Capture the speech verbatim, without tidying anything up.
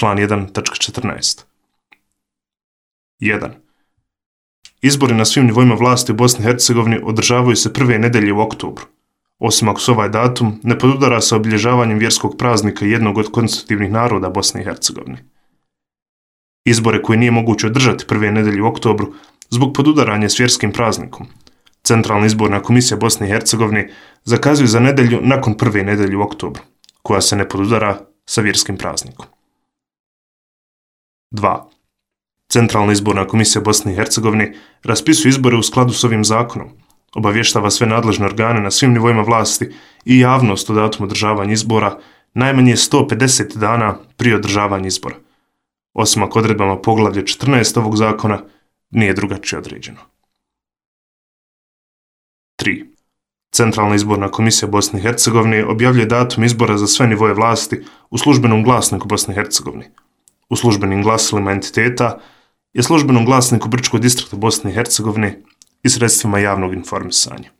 član jedan tačka četrnaest. jedan. Izbori na svim nivoima vlasti u Bosni i Hercegovini održavaju se prve nedelje u oktobru, osim ako se ovaj datum ne podudara sa obilježavanjem vjerskog praznika jednog od konstitutivnih naroda Bosne i Hercegovine. Izbore koje nije moguće održati prve nedelje u oktobru zbog podudaranja s vjerskim praznikom, Centralna izborna komisija Bosne i Hercegovine zakazuje za nedelju nakon prve nedelje u oktobru, koja se ne podudara sa vjerskim praznikom. dva. Centralna izborna komisija Bosne i Hercegovine raspisuje izbore u skladu s ovim zakonom, obavještava sve nadležne organe na svim nivoima vlasti i javnost o datumu održavanja izbora najmanje sto pedeset dana prije održavanja izbora, osim ako odredbama poglavlja četrnaest ovog zakona nije drugačije određeno. tri. Centralna izborna komisija Bosne i Hercegovine objavljuje datum izbora za sve nivoje vlasti u službenom glasniku Bosne i Hercegovine, u službenim glasilima entiteta i službenom glasniku Brčkog distrikta Bosne i Hercegovine i sredstvima javnog informisanja.